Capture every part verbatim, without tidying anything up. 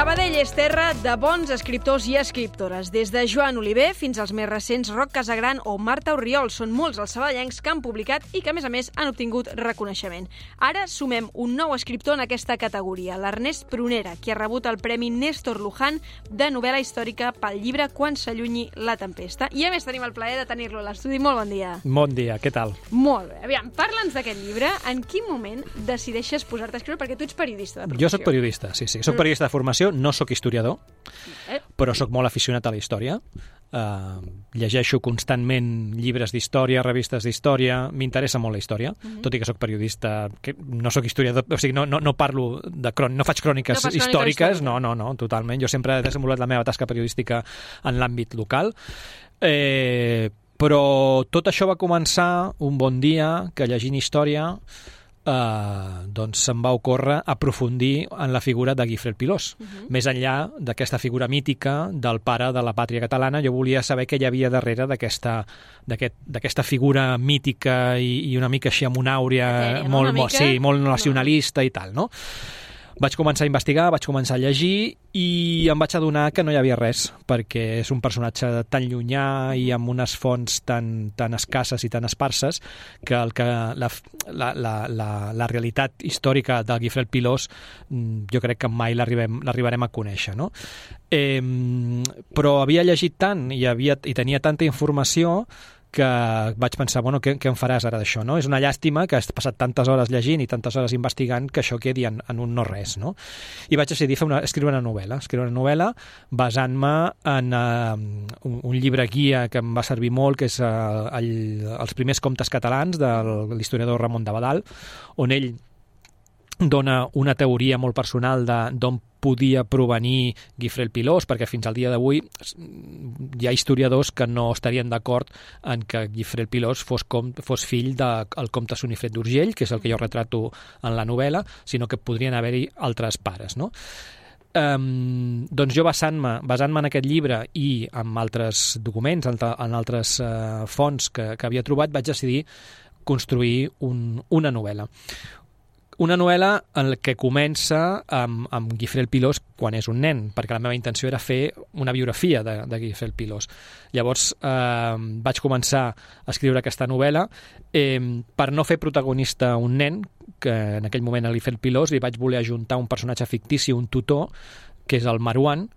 Sabadell és terra de bons escriptors i escriptores. Des de Joan Oliver fins als més recents Roc Casagran o Marta Orriol. Són molts els sabadellencs que han publicat i que, a més a més, han obtingut reconeixement. Ara sumem un nou escriptor en aquesta categoria, l'Ernest Prunera, qui ha rebut el Premi Néstor Luján de novel·la històrica pel llibre Quan s'allunyi la tempesta. I a més tenim el plaer de tenir-lo a l'estudi. Molt bon dia. Bon dia, què tal? Molt bé. Aviam, parla'ns d'aquest llibre. En quin moment decideixes posar-te a escriure? Perquè tu ets periodista de professió. Jo soc periodista, sí, sí. Soc periodista de formació, no sóc historiador, però sóc molt aficionat a la història. Uh, llegeixo constantment llibres d'història, revistes d'història, m'interessa molt la història, uh-huh. tot i que sóc periodista, que no sóc historiador, o sigui, no, no, no parlo de cròniques, no faig cròniques no històriques, no, no, no, totalment. Jo sempre he desenvolupat la meva tasca periodística en l'àmbit local, eh, però tot això va començar un bon dia que llegint història Uh, doncs se'm va ocórrer aprofundir en la figura de Guifré el Pilós. Uh-huh. Més enllà d'aquesta figura mítica del pare de la pàtria catalana, jo volia saber què hi havia darrere d'aquesta d'aquest, d'aquesta figura mítica i, i una mica així amb una àurea Etèria, molt, no? molt, sí, molt nacionalista no. i tal, no? Vaig començar a investigar, vaig començar a llegir i em vaig adonar que no hi havia res, perquè és un personatge tan llunyà i amb unes fonts tan, tan escasses i tan esparses que, el que la, la, la, la, la realitat històrica del Guifré el Pilós jo crec que mai l'arribarem a conèixer, no? Eh, però havia llegit tant i, havia, i tenia tanta informació que vaig pensar, bueno, què, què en faràs ara d'això, no? És una llàstima que has passat tantes hores llegint i tantes hores investigant que això quedi en, en un no res, no? I vaig decidir fer una, escriure una novel·la, escriure una novel·la basant-me en uh, un, un llibre guia que em va servir molt, que és uh, el, els primers contes catalans de l'historiador Ramon d'Abadal, on ell dona una teoria molt personal d'on podia provenir Guifré el Pilós, perquè fins al dia d'avui hi ha historiadors que no estarien d'acord en que Guifré el Pilós fos, com, fos fill del de, comte Sonifret d'Urgell, que és el que jo retrato en la novel·la, sinó que podrien haver-hi altres pares, no? Um, doncs jo basant-me basant-me en aquest llibre i en altres documents, en altres uh, fonts que, que havia trobat, vaig decidir construir un, una novel·la. Una novel·la en la que comença amb, amb Guifré el Pilós quan és un nen, perquè la meva intenció era fer una biografia de, de Guifré el Pilós. Llavors eh, vaig començar a escriure aquesta novel·la eh, per no fer protagonista un nen, que en aquell moment a Guifré el Pilós li vaig voler ajuntar un personatge fictici, un tutor, que és el Marwan,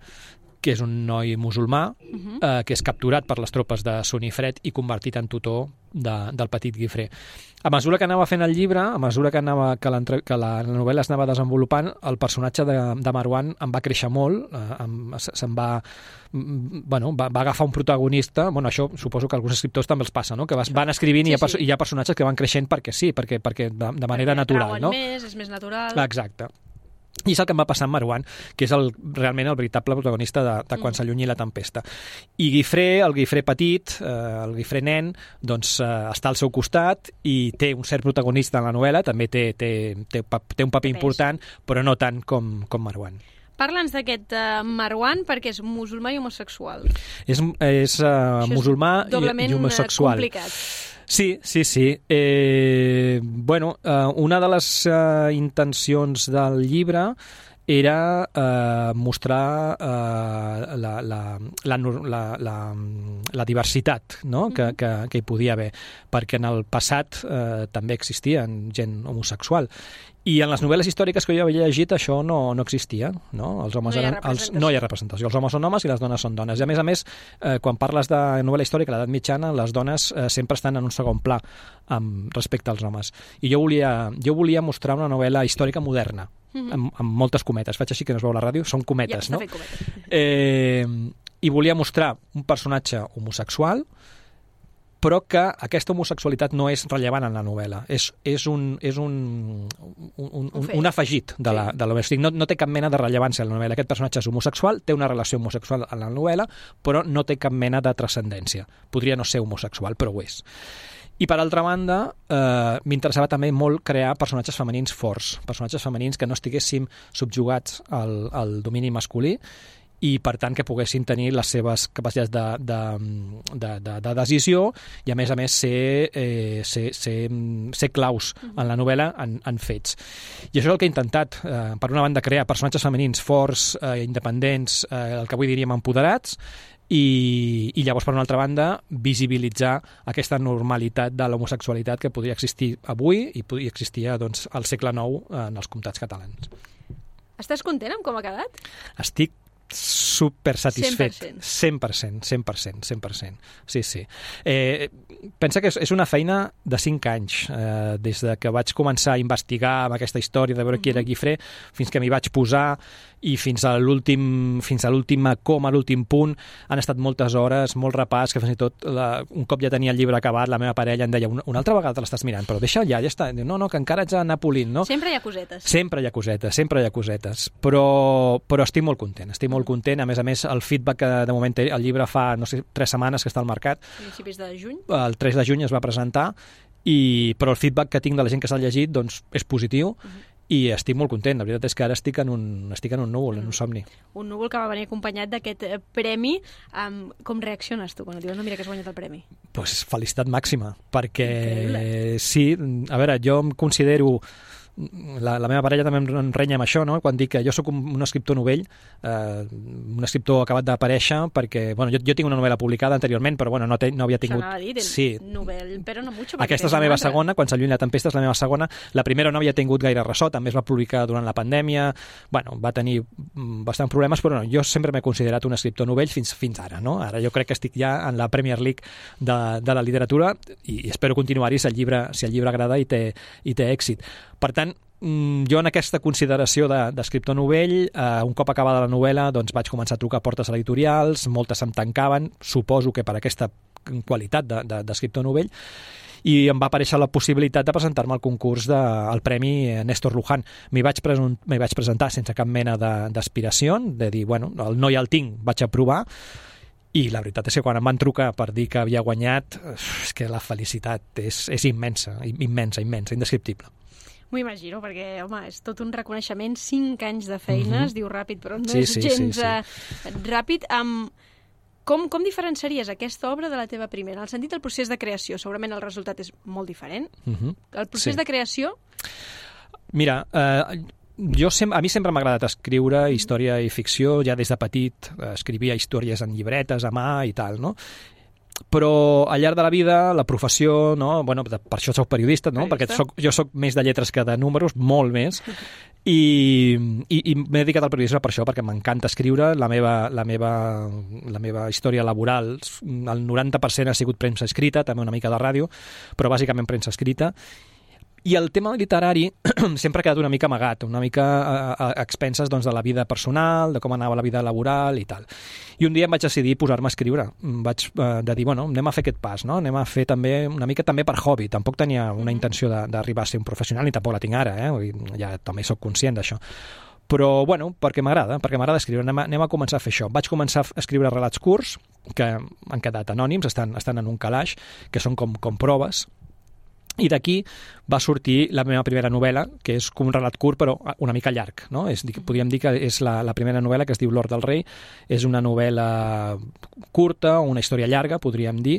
que és un noi musulmà, uh-huh. eh, que és capturat per les tropes de Sonifret i convertit en tutor de, del petit Guifré. A mesura que anava fent el llibre, a mesura que, anava, que, que la novel·la es anava desenvolupant, el personatge de, de Marwan em va créixer molt, eh, em, se'n va, bueno, va, va agafar un protagonista, bueno, això suposo que alguns escriptors també els passa, no? Que vas, van escrivint sí, i, hi ha, sí. i hi ha personatges que van creixent perquè sí, perquè, perquè de, de manera perquè natural. No? Més, és més natural. Exacte. I és el que em va passar amb Marwan, que és el, realment el veritable protagonista de, de Quan s'allunyi la tempesta. I Guifré, el Guifré petit, eh, el Guifré nen, doncs eh, està al seu costat i té un cert protagonista en la novel·la, també té, té, té, té un paper important, però no tant com, com Marwan. Parla'ns d'aquest uh, Marwan perquè és musulmà i homosexual. És, és uh, musulmà i, i homosexual. Complicat. Sí, sí, sí. Eh, bueno, eh, una de les eh, intencions del llibre era eh, mostrar eh, la, la, la, la, la, la diversitat, no? que, que, que hi podia haver, perquè en el passat eh, també existia gent homosexual. I en les novel·les històriques que jo havia llegit això no, no existia. No? Els homes no, hi eren, els, no hi ha representació. Els homes són homes i les dones són dones. I a més a més, eh, quan parles de novel·la històrica a l'edat mitjana, les dones eh, sempre estan en un segon pla amb, respecte als homes. I jo volia, jo volia mostrar una novel·la històrica moderna, mm-hmm. amb, amb moltes cometes. Faig així que no es veu a la ràdio, són cometes, ja, no? Eh, I volia mostrar un personatge homosexual, però que aquesta homosexualitat no és rellevant en la novel·la. És, és, un, és un, un, un, un, un afegit de la, de la novel·la. No, no té cap mena de rellevància en la novel·la. Aquest personatge és homosexual, té una relació homosexual en la novel·la, però no té cap mena de transcendència. Podria no ser homosexual, però ho és. I per altra banda, eh, m'interessava també molt crear personatges femenins forts, personatges femenins que no estiguéssim subjugats al, al domini masculí i per tant que poguessin tenir les seves capacitats de, de, de, de, de decisió i a més a més ser, eh, ser, ser, ser claus en la novel·la en, en fets. I això és el que he intentat, eh, per una banda crear personatges femenins forts, eh, independents, eh, el que avui diríem empoderats, i, i llavors per una altra banda visibilitzar aquesta normalitat de l'homosexualitat que podria existir avui i podria existir doncs, al segle nou en els comtats catalans. Estàs content amb com ha quedat? Estic super satisfet. cent per cent cent. cent per cent, cent per cent. Sí, sí. Eh, pensa que és, és una feina de cinc anys, eh, des de que vaig començar a investigar amb aquesta història de veure uh-huh. qui era Guifré, fins que m'hi vaig posar i fins a l'últim fins a l'última coma, l'últim punt, han estat moltes hores, molt repàs, que fins i tot la, un cop ja tenia el llibre acabat, la meva parella em deia, una, una altra vegada l'estàs mirant, però deixa ja, ja està. Diu, no, no, que encara haig d'anar polint, no? Sempre hi ha cosetes. Sempre hi ha cosetes, sempre hi ha cosetes, però, però estic molt content, estic molt content. A més a més, el feedback que de moment té el llibre fa, no sé, tres setmanes que està al mercat. Principis de juny? El tres de juny es va presentar, i, però el feedback que tinc de la gent que s'ha llegit doncs, és positiu, uh-huh. i estic molt content. La veritat és que ara estic en un, estic en un núvol, en un somni. Un núvol que va venir acompanyat d'aquest premi. Um, com reacciones tu quan et diuen, no, mira que has guanyat el premi? Pues felicitat màxima, perquè Increïble. Sí, a veure, jo em considero... La, la meva parella també em renya amb això, no? Quan dic que jo sóc un, un escriptor novell, eh, un escriptor acabat d'aparèixer, perquè bueno, jo, jo tinc una novel·la publicada anteriorment, però bueno, no, te, no havia tingut... Això anava a dir, sí. novel·la, però no mucho. Aquesta és la meva segona, Quan s'allunya la tempesta és la meva segona. La primera no havia tingut gaire ressò, també es va publicar durant la pandèmia, bueno, va tenir bastant problemes, però no, jo sempre m'he considerat un escriptor novell fins, fins ara, no? Ara jo crec que estic ja en la Premier League de, de la literatura i, i espero continuar-hi si el llibre, si el llibre agrada i té, i té èxit. Per tant, jo en aquesta consideració d'escriptor de, novell, eh, un cop acabada la novel·la, doncs vaig començar a trucar a portes editorials, moltes em tancaven, suposo que per aquesta qualitat d'escriptor de, de novell, i em va aparèixer la possibilitat de presentar-me al concurs del de, Premi Néstor Luján. M'hi vaig, vaig presentar sense cap mena d'aspiració, de, de dir, bueno, el no ja el tinc, vaig aprovar, i la veritat és que quan em van trucar per dir que havia guanyat, és que la felicitat és, és immensa, immensa, immensa, indescriptible. M'ho imagino, perquè, home, és tot un reconeixement, cinc anys de feina, mm-hmm. es diu ràpid, però no sí, és sí, gens sí, sí. Uh, ràpid. Um, com, com diferenciaries aquesta obra de la teva primera? En el sentit del procés de creació, segurament el resultat és molt diferent. Mm-hmm. El procés sí. de creació? Mira, eh, jo sem a mi sempre m'ha agradat escriure història i ficció, ja des de petit eh, escrivia històries en llibretes a mà i tal, no? Però al llarg de la vida, la professió, no? Bueno, per això soc periodista, no? Periodista. Perquè soc, jo soc més de lletres que de números, molt més, i, i, i m'he dedicat al periodisme per això, perquè m'encanta escriure. La meva, la, meva, la meva història laboral, el noranta per cent ha sigut premsa escrita, també una mica de ràdio, però bàsicament premsa escrita. I el tema literari sempre ha quedat una mica amagat, una mica a, a, a expenses doncs, de la vida personal, de com anava la vida laboral i tal. I un dia em vaig decidir posar-me a escriure. Vaig eh, de dir, bueno, anem a fer aquest pas, no? Anem a fer també una mica també per hobby. Tampoc tenia una intenció d'arribar a ser un professional, ni tampoc la tinc ara, eh? Ja també sóc conscient d'això. Però, bueno, perquè m'agrada, perquè m'agrada escriure. Anem a, anem a començar a fer això. Vaig començar a escriure relats curts, que han quedat anònims, estan, estan en un calaix, que són com, com proves. I d'aquí va sortir la meva primera novel·la, que és com un relat curt però una mica llarg, no? És, podríem dir que és la, la primera novel·la, que es diu L'Hort del Rei. És una novel·la curta, una història llarga, podríem dir,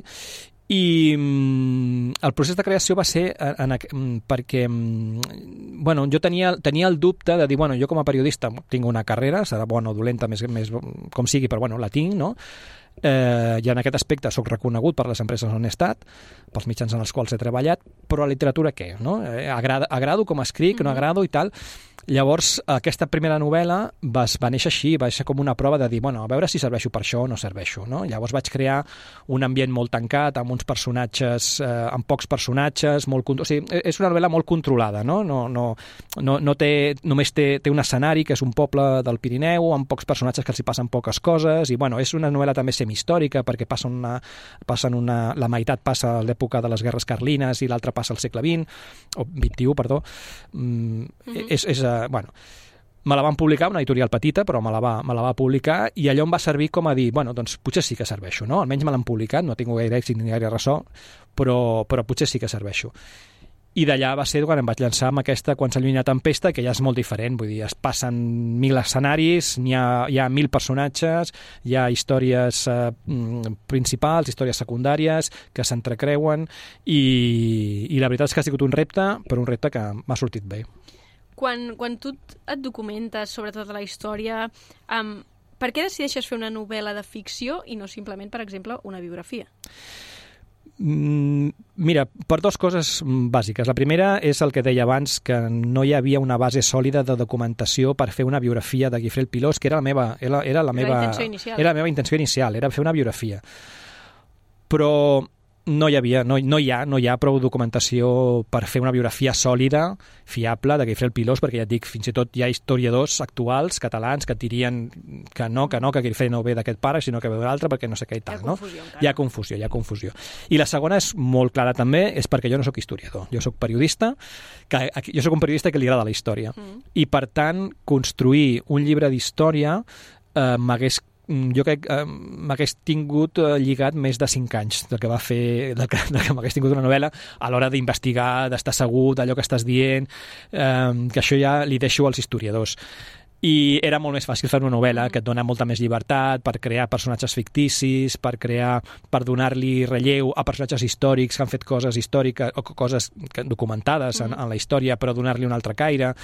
i mm, el procés de creació va ser en, en, perquè mm, bueno, jo tenia, tenia el dubte de dir, bueno, jo com a periodista tinc una carrera, serà bona o dolenta, més, més com sigui, però bueno, la tinc, no? Eh, i en aquest aspecte sóc reconegut per les empreses on he estat, pels mitjans en els quals he treballat, però a literatura què? No? Eh, agrada, agrado com escric, no agrado i tal. Llavors, aquesta primera novel·la va, va néixer així, va ser com una prova de dir, bueno, a veure si serveixo per això o no serveixo, no? Llavors vaig crear un ambient molt tancat, amb uns personatges, eh, amb pocs personatges, molt, o sigui, és una novel·la molt controlada, no? No, no, no, no té, només té, té un escenari, que és un poble del Pirineu, amb pocs personatges que els hi passen poques coses, i bueno, és una novel·la també semihistòrica, perquè passa una, passen una, la meitat passa a l'època de les guerres carlines i l'altra passa al segle vint, o vint-i-u, perdó. Mm, mm-hmm. és, és bueno, me la van publicar, una editorial petita, però me la, va, me la va publicar, i allò em va servir com a dir, bueno, doncs potser sí que serveixo, no? Almenys me l'han publicat, no tinc gaire èxit ni gaire ressò, però, però potser sí que serveixo. I d'allà va ser quan em vaig llançar amb aquesta Quan s'allunya la tempesta, que ja és molt diferent, vull dir, es passen mil escenaris, hi ha, hi ha mil personatges, hi ha històries eh, principals, històries secundàries, que s'entrecreuen, i, i la veritat és que ha sigut un repte, però un repte que m'ha sortit bé. Quan, quan tu et documentes sobre tota la història, um, per què decideixes fer una novel·la de ficció i no simplement, per exemple, una biografia? Mira, per dues coses bàsiques. La primera és el que deia abans, que no hi havia una base sòlida de documentació per fer una biografia de Guifré el Pilós, que era la meva, era, era la meva, era la era la meva intenció inicial, era fer una biografia. Però no hi havia, no, no hi ha, no hi ha prou documentació per fer una biografia sòlida, fiable, de Guifré el Pilós, perquè ja et dic, fins i tot hi ha historiadors actuals, catalans, que et dirien que no, que no, que Guifré no ve d'aquest pare, sinó que ve d'un altre, perquè no sé què i tal, no? Hi ha confusió, hi ha confusió. I la segona és molt clara també, és perquè jo no sóc historiador, jo sóc periodista, que, jo sóc un periodista que li agrada la història, mm. i per tant, construir un llibre d'història eh, m'hagués jo crec que eh, m'hagués tingut eh, lligat més de cinc anys del que va fer, del que, del que m'hagués tingut una novel·la a l'hora d'investigar, d'estar segur d'allò que estàs dient, eh, que això ja li deixo als historiadors. I era molt més fàcil fer una novel·la que et dona molta més llibertat per crear personatges ficticis, per crear, per donar-li relleu a personatges històrics que han fet coses històriques o coses documentades en, en la història, però donar-li un altre caire.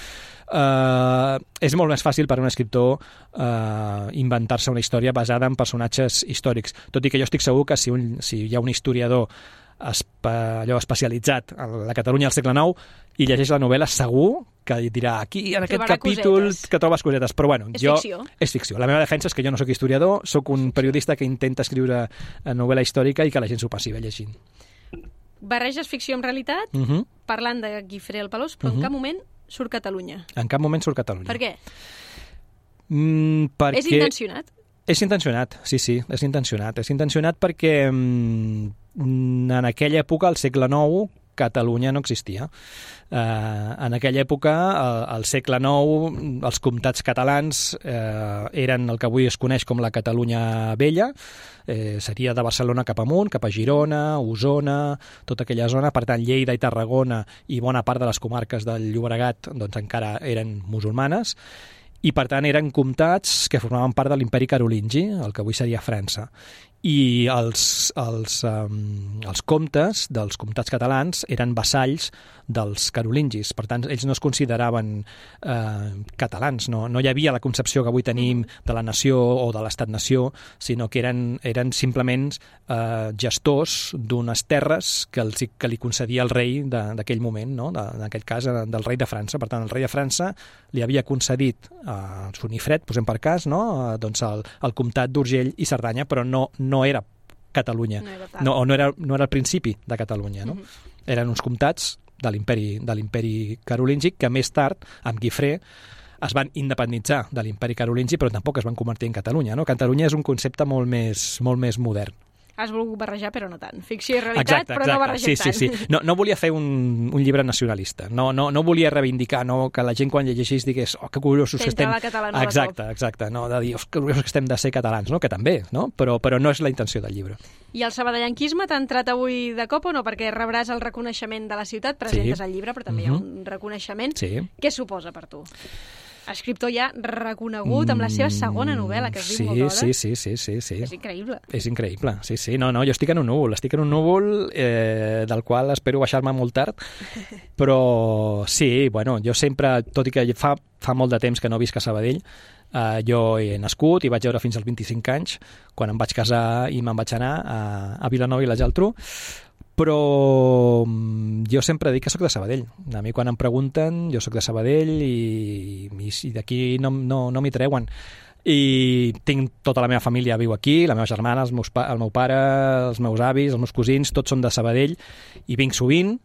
Uh, és molt més fàcil per a un escriptor uh, inventar-se una història basada en personatges històrics. Tot i que jo estic segur que si, un, si hi ha un historiador espe, allò especialitzat a la Catalunya del segle nou i llegeix la novel·la, segur que dirà aquí, en aquest Trobarà capítol, cosetes. que trobes cosetes. Però bueno, és jo... ficció. És ficció. La meva defensa és que jo no sóc historiador, sóc un periodista que intenta escriure novel·la històrica i que la gent s'ho passi bé llegint. Barreges ficció amb realitat, Uh -huh. parlant de Guifré el Pelós, però Uh-huh. en cap moment surt Catalunya. En cap moment surt Catalunya. Per què? Mm, perquè... És intencionat? És intencionat, sí, sí, és intencionat. És intencionat perquè mm, en aquella època, al segle nou, Catalunya no existia. Uh, en aquella època, al, al segle nou, els comtats catalans uh, eren el que avui es coneix com la Catalunya Vella, eh, seria de Barcelona cap amunt, cap a Girona, Osona, tota aquella zona. Per tant, Lleida i Tarragona i bona part de les comarques del Llobregat doncs, encara eren musulmanes, i per tant eren comtats que formaven part de l'imperi carolingi, el que avui seria França. I els, els, um, els comtes dels comtats catalans eren vassalls dels carolingis. Per tant, ells no es consideraven eh, catalans. No, no hi havia la concepció que avui tenim de la nació o de l'estat-nació, sinó que eren, eren simplement eh, gestors d'unes terres que, els, que li concedia el rei d'aquell moment, no? de, en aquest cas del rei de França. Per tant, el rei de França li havia concedit a eh, Sonifred, posem per cas, no? eh, doncs el, el comtat d'Urgell i Cerdanya, però no, no era Catalunya, no era, no, o no era, no era el principi de Catalunya. No? Uh-huh. Eren uns comtats de l'imperi de l'imperi carolingi que més tard, amb Guifré, es van independitzar de l'imperi carolingi, però tampoc es van convertir en Catalunya. No? Catalunya és un concepte molt més, molt més modern. Has volgut barrejar, però no tant. Ficció i realitat, exacte, però exacte. no barrejar sí, tant. Sí, sí. No, no volia fer un, un llibre nacionalista. No, no, no volia reivindicar no, que la gent quan llegeixís digués oh, que curiosos que estem... Exacte, exacte. No, de dir, oh, que curiosos que estem de ser catalans, no? Que també, no? Però, però no és la intenció del llibre. I el sabadellanquisme t'ha entrat avui de cop o no? Perquè rebràs el reconeixement de la ciutat, presentes sí. el llibre, però també uh-huh. hi ha un reconeixement. Sí. Què suposa per tu? Escriptor ja reconegut amb la seva segona novel·la, que es sí, diu molt d'hora. Sí, sí, sí, sí, sí. És increïble. És increïble, sí, sí. No, no, jo estic en un núvol, estic en un núvol eh, del qual espero baixar-me molt tard, però sí, bueno, jo sempre, tot i que fa, fa molt de temps que no visc a Sabadell, eh, jo he nascut i vaig veure fins als vint-i-cinc anys, quan em vaig casar i me'n vaig anar a, a Vilanova i la Geltrú, però jo sempre dic que sóc de Sabadell. A mi quan em pregunten, jo sóc de Sabadell i, i, i d'aquí no, no, no m'hi treuen. I tinc tota la meva família viu aquí, la meva germana, els meus pa, el meu pare, els meus avis, els meus cosins, tots són de Sabadell i vinc sovint.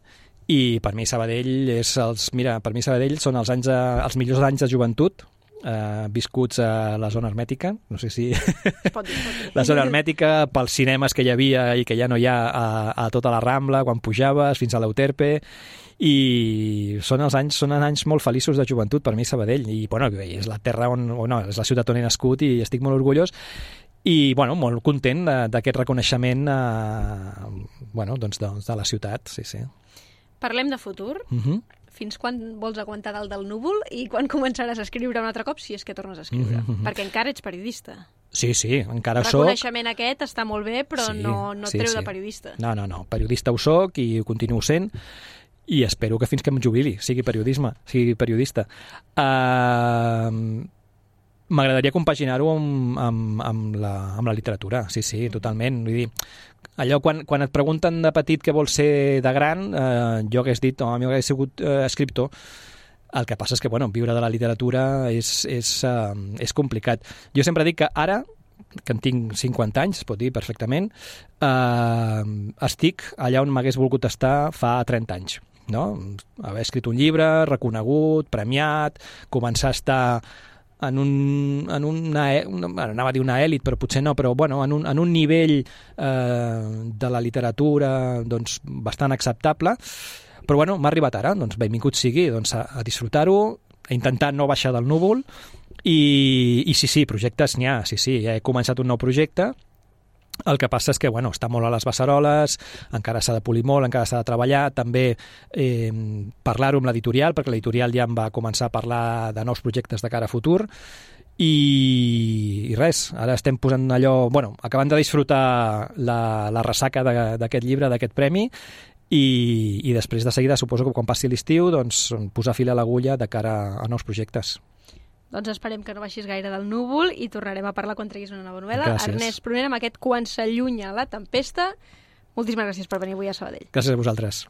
I per mi Sabadell és els, mira, per mi Sabadell són els anys de, els millors anys de joventut, Uh, viscuts a la zona hermètica, no sé si... Pot dir, pot dir. La zona hermètica, pels cinemes que hi havia i que ja no hi ha a, a tota la Rambla, quan pujaves fins a l'Euterpe, i són els anys, són anys molt feliços de joventut per mi Sabadell, i bueno, és la terra on, no, és la ciutat on he nascut i estic molt orgullós, i bueno, molt content d'aquest reconeixement uh, bueno, doncs de, de la ciutat, sí, sí. Parlem de futur. Uh-huh. Fins quan vols aguantar dalt del núvol i quan començaràs a escriure un altre cop, si és que tornes a escriure? Uh-huh. Perquè encara ets periodista. Sí, sí, encara El soc. El reconeixement aquest està molt bé, però sí, no, no et sí, treu sí. de periodista. No, no, no. Periodista ho soc i ho continuo sent i espero que fins que em jubili sigui periodisme, sigui periodista. Uh, M'agradaria compaginar-ho amb, amb, amb, la, amb la literatura, sí, sí, totalment. Vull dir, allò quan, quan et pregunten de petit què vols ser de gran, eh, jo hagués dit, oh, a mi m'hagués sigut eh, escriptor. El que passa és que, bueno, viure de la literatura és, és, uh, és complicat. Jo sempre dic que ara, que en tinc cinquanta anys, es pot dir perfectament, uh, estic allà on m'hagués volgut estar fa trenta anys. No? Haver escrit un llibre, reconegut, premiat, començar a estar en un, en una, una bueno, anava a dir una èlit, però potser no, però bueno, en un, en un nivell eh, de la literatura doncs, bastant acceptable. Però bueno, m'ha arribat ara, doncs benvingut sigui doncs, a, a disfrutar-ho, a intentar no baixar del núvol i, i sí, sí, projectes n'hi ha, sí, sí, ja he començat un nou projecte. El que passa és que, bueno, està molt a les beceroles, encara s'ha de polir molt, encara s'ha de treballar, també eh, parlar-ho amb l'editorial, perquè l'editorial ja em va començar a parlar de nous projectes de cara a futur, i, i res, ara estem posant allò, bueno, acabant de disfrutar la, la ressaca d'aquest llibre, d'aquest premi, i, i després de seguida, suposo que quan passi l'estiu, doncs posar fil a l'agulla de cara a nous projectes. Doncs esperem que no baixis gaire del núvol i tornarem a parlar quan treguis una nova novel·la. Gràcies. Ernest Prunera, amb aquest Quan s'allunya la tempesta. Moltíssimes gràcies per venir avui a Sabadell. Gràcies a vosaltres.